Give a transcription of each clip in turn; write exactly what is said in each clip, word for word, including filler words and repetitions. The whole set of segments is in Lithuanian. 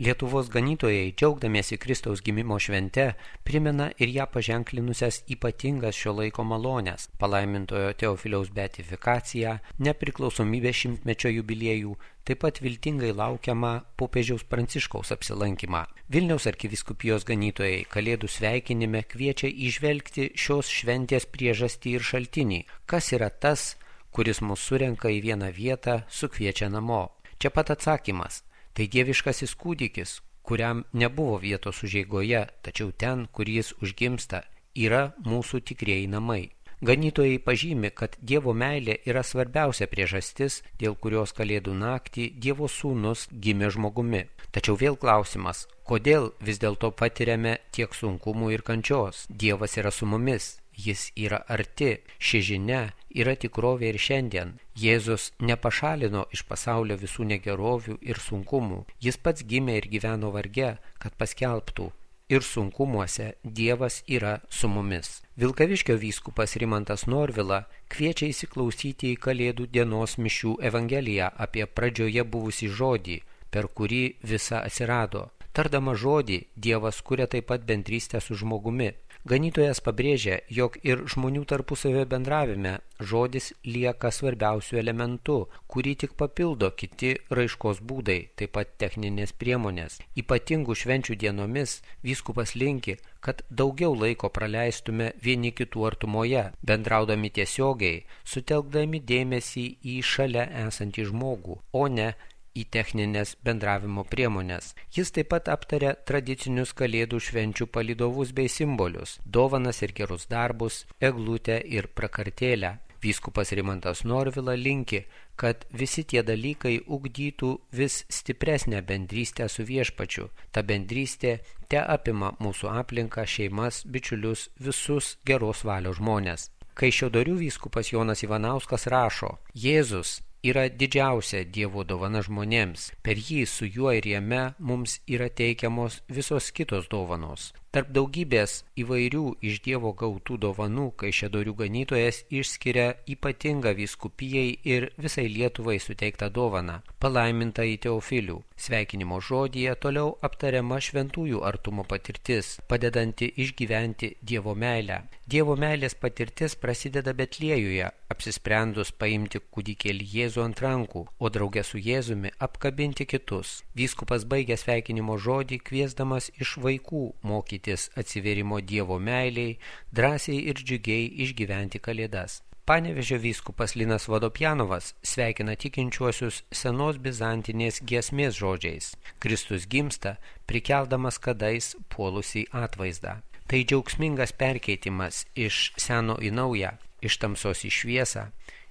Lietuvos ganytojai, džiaugdamiesi Kristaus gimimo švente, primena ir ją paženklinusias ypatingas šio laiko malones – palaimintojo Teofiliaus beatifikaciją, nepriklausomybės šimtmečio jubiliejų, taip pat viltingai laukiamą popiežiaus Pranciškaus apsilankymą. Vilniaus arkivyskupijos ganytojai Kalėdų sveikinime kviečia įžvelgti šios šventės priežastį ir šaltinį, kas yra tas, kuris mus surenka į vieną vietą, sukviečia namo. Čia pat atsakymas. Tai dieviškasis kūdikis, kuriam nebuvo vietos užeigoje, tačiau ten, kur jis užgimsta, yra mūsų tikrieji namai. Ganytojai pažymi, kad Dievo meilė yra svarbiausia priežastis, dėl kurios Kalėdų naktį Dievo sūnus gimė žmogumi. Tačiau vėl klausimas, kodėl vis dėlto patiriame tiek sunkumų ir kančios? Dievas yra su mumis. Jis yra arti, ši žinia yra tikrovė ir šiandien. Jėzus nepašalino iš pasaulio visų negerovių ir sunkumų. Jis pats gimė ir gyveno varge, kad paskelbtų. Ir sunkumuose Dievas yra su mumis. Vilkaviškio vyskupas Rimantas Norvila kviečia įsiklausyti į Kalėdų dienos mišių evangeliją apie pradžioje buvusį žodį, per kurį visa atsirado. Tardama žodį, Dievas kuria taip pat bendrystę su žmogumi. Ganytojas pabrėžia, jog ir žmonių tarpusavio bendravime žodis lieka svarbiausių elementų, kurį tik papildo kiti raiškos būdai, taip pat techninės priemonės. Ypatingų švenčių dienomis vyskupas linki, kad daugiau laiko praleistume vieni kitų artumoje, bendraudami tiesiogiai, sutelkdami dėmesį į šalia esantį žmogų, o ne į techninės bendravimo priemonės. Jis taip pat aptarė tradicinius Kalėdų švenčių palydovus bei simbolius, dovanas ir gerus darbus, eglutę ir prakartėlę. Vyskupas Rimantas Norvila linki, kad visi tie dalykai ugdytų vis stipresnę bendrystę su viešpačiu. Ta bendrystė te apima mūsų aplinką, šeimas, bičiulius, visus geros valios žmonės. Kaišiadorių vyskupas Jonas Ivanauskas rašo, Jėzus yra didžiausia Dievo dovana žmonėms. Per jį, su juo ir jame mums yra teikiamos visos kitos dovanos. Tarp daugybės įvairių iš Dievo gautų dovanų Kaišiadorių ganytojas išskiria ypatingą vyskupijai ir visai Lietuvai suteiktą dovaną – palaimintąjį Teofilių. Sveikinimo žodyje toliau aptariama šventųjų artumo patirtis, padedanti išgyventi Dievo meilę. Dievo meilės patirtis prasideda Betliejuje, apsisprendus paimti kūdikėlį Jėzų ant rankų, o drauge su Jėzumi apkabinti kitus. Vyskupas baigė sveikinimo žodį kviesdamas iš vaikų mokytis atsivėrimo Dievo meiliai, drąsiai ir džiugiai išgyventi Kalėdas. Panevėžio vyskupas Linas Vodopjanovas sveikina tikinčiuosius senos bizantinės giesmės žodžiais. Kristus gimsta, prikeldamas kadais puolusį atvaizdą. Tai džiaugsmingas perkeitimas iš seno į naują, iš tamsos į šviesą,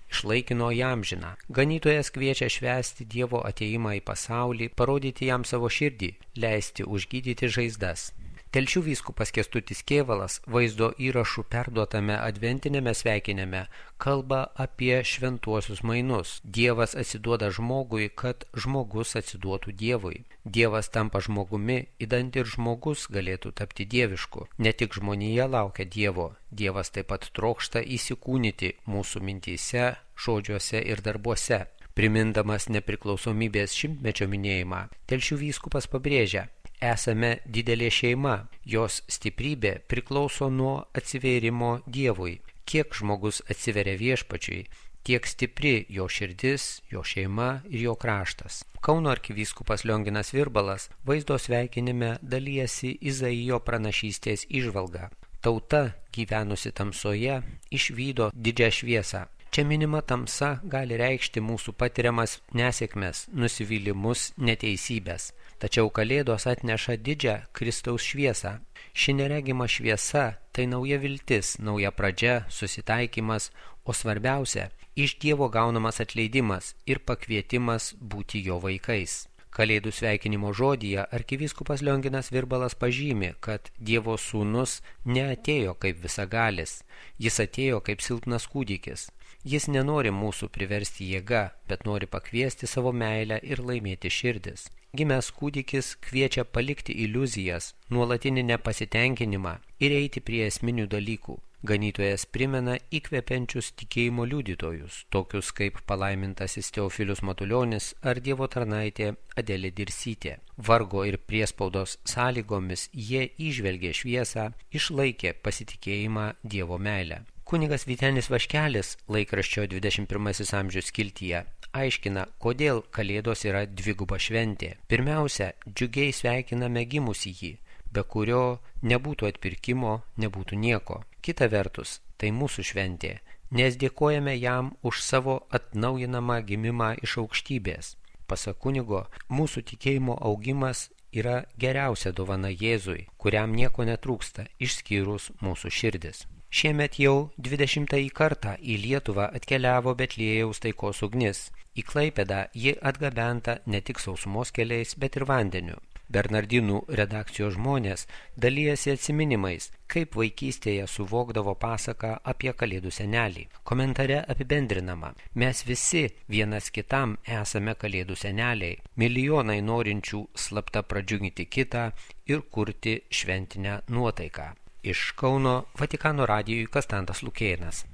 iš laikino į amžiną. Ganytojas kviečia švęsti Dievo atėjimą į pasaulį, parodyti jam savo širdį, leisti užgydyti žaizdas. Telšių vyskupas Kęstutis Kėvalas vaizdo įrašų perduotame adventinėme sveikinime kalba apie šventuosius mainus. Dievas atsiduoda žmogui, kad žmogus atsiduotų Dievui. Dievas tampa žmogumi, idant ir žmogus galėtų tapti dievišku. Ne tik žmonija laukia Dievo, Dievas taip pat trokšta įsikūnyti mūsų mintyse, žodžiuose ir darbuose. Primindamas nepriklausomybės šimtmečio minėjimą, Telšių vyskupas pabrėžia, esame didelė šeima, jos stiprybė priklauso nuo atsivėrimo Dievui. Kiek žmogus atsiveria viešpačiui, tiek stipri jo širdis, jo šeima ir jo kraštas. Kauno arkivyskupas Lionginas Virbalas vaizdo sveikinime dalijasi Izaijo pranašystės įžvalga. Tauta, gyvenusi tamsoje, išvydo didžią šviesą. Čia minima tamsa gali reikšti mūsų patiriamas nesėkmes, nusivylimus, neteisybės. Tačiau Kalėdos atneša didžią Kristaus šviesą. Ši neregima šviesa – tai nauja viltis, nauja pradžia, susitaikymas, o svarbiausia – iš Dievo gaunamas atleidimas ir pakvietimas būti jo vaikais. Kalėdų sveikinimo žodyje arkivyskupas Lionginas Virbalas pažymi, kad Dievo sūnus neatėjo kaip visagalis, jis atėjo kaip silpnas kūdikis. Jis nenori mūsų priversti jėga, bet nori pakviesti savo meilę ir laimėti širdis. Gimęs kūdikis kviečia palikti iliuzijas, nuolatinį nepasitenkinimą ir eiti prie esminių dalykų. Ganytojas primena įkvepiančius tikėjimo liudytojus, tokius kaip palaimintasis Teofilius Matulionis ar Dievo tarnaitė Adelė Dirsytė. Vargo ir priespaudos sąlygomis jie įžvelgė šviesą, išlaikė pasitikėjimą Dievo meilę. Kunigas Vytenis Vaškelis laikraščio dvidešimt pirmasis amžius skiltyje aiškina, kodėl Kalėdos yra dviguba šventė. Pirmiausia, džiugiai sveikiname gimusįjį, be kurio nebūtų atpirkimo, nebūtų nieko. Kita vertus, tai mūsų šventė, nes dėkojame jam už savo atnaujinamą gimimą iš aukštybės. Pasak kunigo, mūsų tikėjimo augimas yra geriausia dovana Jėzui, kuriam nieko netrūksta, išskyrus mūsų širdis. Šiemet jau dvidešimtąjį kartą į Lietuvą atkeliavo Betliejaus taikos ugnis. Į Klaipėdą ji atgabenta ne tik sausumos keliais, bet ir vandeniu. Bernardinų redakcijos žmonės dalijasi atsiminimais, kaip vaikystėje suvokdavo pasaką apie Kalėdų senelį. Komentare apibendrinama: mes visi vienas kitam esame Kalėdų seneliai, milijonai norinčių slapta pradžiuginti kitą ir kurti šventinę nuotaiką. Iš Kauno Vatikano radijui Kastantas Lukėnas.